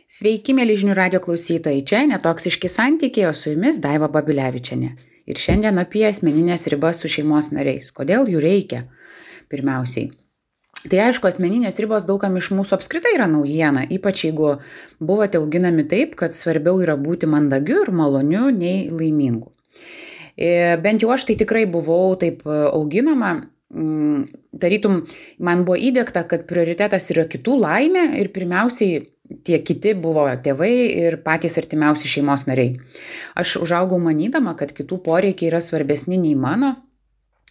Sveiki, mėly žinių radio klausytojai, čia Netoksiški santykiai, o su jumis Daiva Babilevičienė. Ir šiandien apie asmeninės ribas su šeimos nariais. Kodėl jų reikia? Pirmiausiai. Tai aišku, asmeninės ribos daugam iš mūsų apskritai yra naujiena, ypač jeigu buvote auginami taip, kad svarbiau yra būti mandagiu ir maloniu nei laimingu. Bent jau aš tai tikrai buvau taip auginama. Tarytum, man buvo įdiegta, kad prioritetas yra kitų laimė ir pirmiausiai tie kiti buvo tėvai ir patys artimiausi šeimos nariai. Aš užaugau manydama, kad kitų poreikiai yra svarbesni nei mano,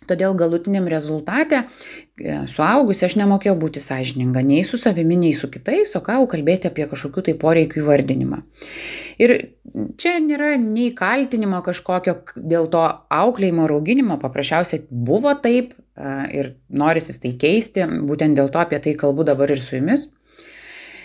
todėl galutiniam rezultate suaugusi aš nemokėjau būti sąžininga nei su savimi, nei su kitais, o ką kalbėti apie kažkokių tai poreikių įvardinimą. Ir čia nėra nei kaltinimo kažkokio dėl to auklėjimo ir auginimo, paprasčiausiai buvo taip ir norisi tai keisti, būtent dėl to apie tai kalbu dabar ir su jumis.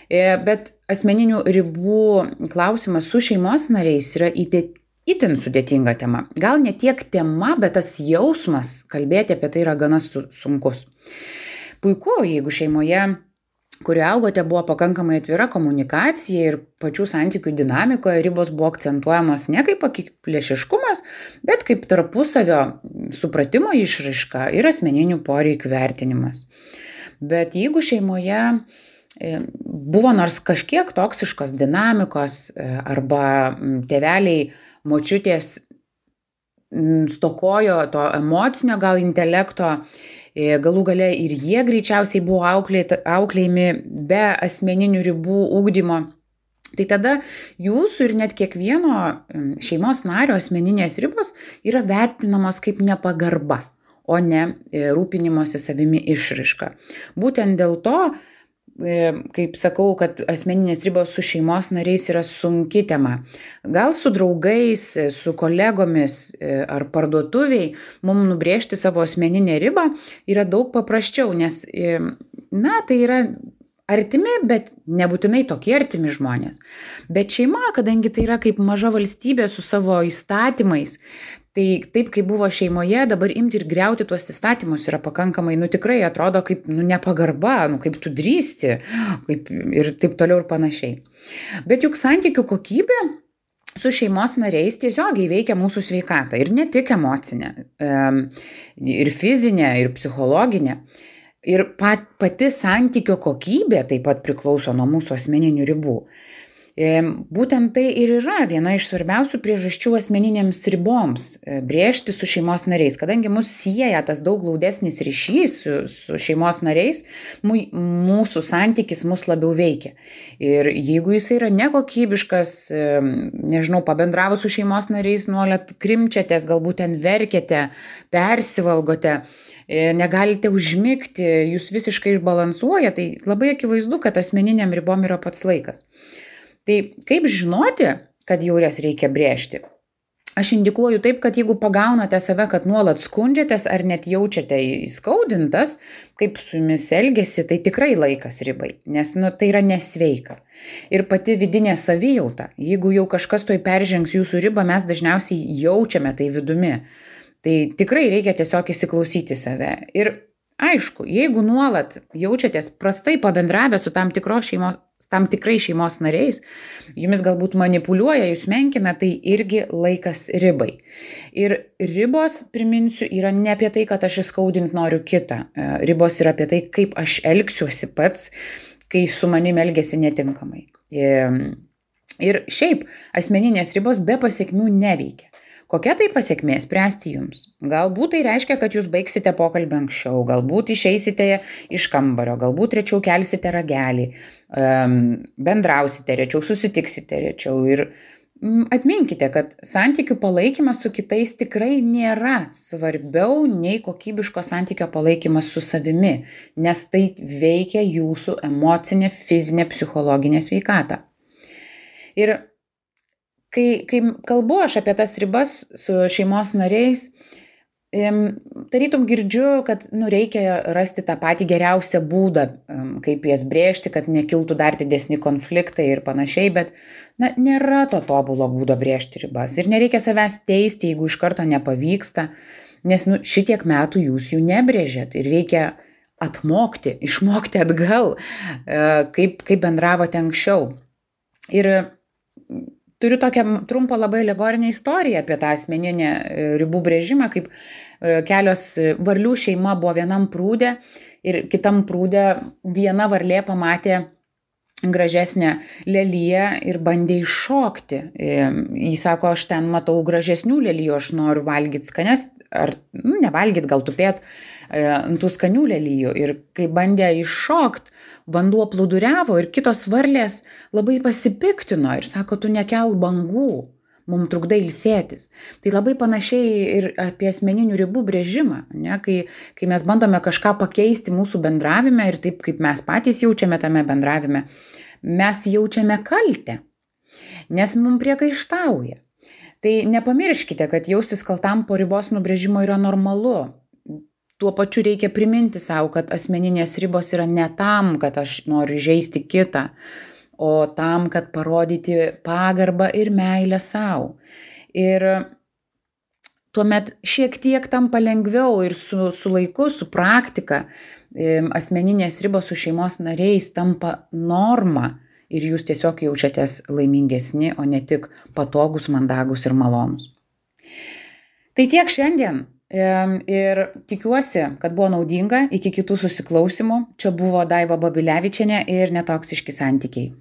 Bet asmeninių ribų klausimas su šeimos nariais yra itin sudėtinga tema. Gal ne tiek tema, bet tas jausmas kalbėti apie tai yra gana sunkus. Puiku, jeigu šeimoje, kurioje augote, buvo pakankamai atvira komunikacija ir pačių santykių dinamikoje ribos buvo akcentuojamos ne kaip akiplėšiškumas, bet kaip tarpusavio supratimo išraiška ir asmeninių poreikių vertinimas. Bet jeigu šeimoje buvo nors kažkiek toksiškos dinamikos arba tėveliai, močiutės stokojo to emocinio gal intelekto, galų gale ir jie greičiausiai buvo auklėjami be asmeninių ribų ugdymo, tai tada jūsų ir net kiekvieno šeimos nario asmeninės ribos yra vertinamos kaip nepagarba, o ne rūpinimosi savimi išraiška. Būtent dėl to, kaip sakau, kad asmeninės ribos su šeimos nariais yra sunki tema. Gal su draugais, su kolegomis ar parduotuviai mums nubrėžti savo asmeninę ribą yra daug paprasčiau, nes tai yra artimi, bet nebūtinai tokie artimi žmonės. Bet šeima, kadangi tai yra kaip maža valstybė su savo įstatymais, tai taip, kaip buvo šeimoje, dabar imti ir griauti tuos įstatymus yra pakankamai, tikrai atrodo kaip nepagarba, kaip tu drįsti ir taip toliau ir panašiai. Bet juk santykių kokybė su šeimos nariais tiesiogiai veikia mūsų sveikatą ir ne tik emocinę, ir fizinę, ir psichologinę. Ir pati santykio kokybė taip pat priklauso nuo mūsų asmeninių ribų. Būtent tai ir yra viena iš svarbiausių priežasčių asmeninėms riboms brėžti su šeimos nariais. Kadangi mus sieja tas daug glaudesnis ryšys su šeimos nariais, mūsų santykis mus labiau veikia. Ir jeigu jis yra nekokybiškas, pabendravus su šeimos nariais nuolat krimčiatės, galbūt ten verkiate, persivalgote, negalite užmigti, jūs visiškai išbalansuoja, tai labai akivaizdu, kad asmeniniam ribom yra pats laikas. Tai kaip žinoti, kad jau jas reikia brėžti? Aš indikuoju taip, kad jeigu pagaunate save, kad nuolat skundžiatės ar net jaučiate įskaudintas, kaip su jumis elgiasi, tai tikrai laikas ribai, nes tai yra nesveika. Ir pati vidinė savijauta, jeigu jau kažkas toj peržengs jūsų ribą, mes dažniausiai jaučiame tai vidumi. Tai tikrai reikia tiesiog įsiklausyti save. Ir aišku, jeigu nuolat jaučiatės prastai pabendravę su tam tikrai šeimos nariais, jumis galbūt manipuliuoja, jūs menkina, tai irgi laikas ribai. Ir ribos, priminsiu, yra ne apie tai, kad aš įskaudinti noriu kitą. Ribos yra apie tai, kaip aš elgsiuosi pats, kai su manim elgiasi netinkamai. Ir šiaip asmeninės ribos be pasiekmių neveikia. Kokia tai pasiekmė spręsti jums? Galbūt tai reiškia, kad jūs baigsite pokalbį anksčiau, galbūt išeisite iš kambario, galbūt rečiau kelsite ragelį, bendrausite rečiau, susitiksite rečiau. Ir atminkite, kad santykių palaikymas su kitais tikrai nėra svarbiau nei kokybiško santykio palaikymas su savimi, nes tai veikia jūsų emocinę, fizinę, psichologinę sveikatą. Ir Kai kalbu aš apie tas ribas su šeimos nariais, tarytum girdžiu, kad reikia rasti tą patį geriausią būdą, kaip jas brėžti, kad nekiltų dar didesni konfliktai ir panašiai, bet nėra to tobulo būdo brėžti ribas. Ir nereikia savęs teisti, jeigu iš karto nepavyksta, nes šitiek metų jūs jų nebrėžėt ir reikia išmokti atgal, kaip bendravote anksčiau. Ir turiu tokią trumpą labai alegorinę istoriją apie tą asmeninę ribų brėžimą, kaip kelios varlių šeima buvo vienam prūde ir kitam prūde viena varlė pamatė gražesnę leliją ir bandė iššokti. Jis sako, aš ten matau gražesnių lelijų, aš noriu valgyti skanes, ar nevalgyti, gal tupėt ant tų skanių lelijų. Ir kai bandė iššokt, vanduo plūduriavo ir kitos varlės labai pasipiktino ir sako, tu nekel bangų, mums trukdai ilsėtis. Tai labai panašiai ir apie asmeninių ribų brėžimą, ne? Kai mes bandome kažką pakeisti mūsų bendravime ir taip, kaip mes patys jaučiame tame bendravime, mes jaučiame kaltę, nes mums priekaištauja. Tai nepamirškite, kad jaustis kaltam po ribos nubrėžimo yra normalu. Tuo pačiu reikia priminti savo, kad asmeninės ribos yra ne tam, kad aš noriu žeisti kitą, o tam, kad parodyti pagarbą ir meilę savo. Ir tuomet šiek tiek tampa lengviau ir su laiku, su praktika, asmeninės ribos su šeimos nariais tampa norma ir jūs tiesiog jaučiatės laimingesni, o ne tik patogus, mandagus ir malonus. Tai tiek šiandien ir tikiuosi, kad buvo naudinga. Iki kitų susiklausimų. Čia buvo Daiva Babilevičienė ir Netoksiški santykiai.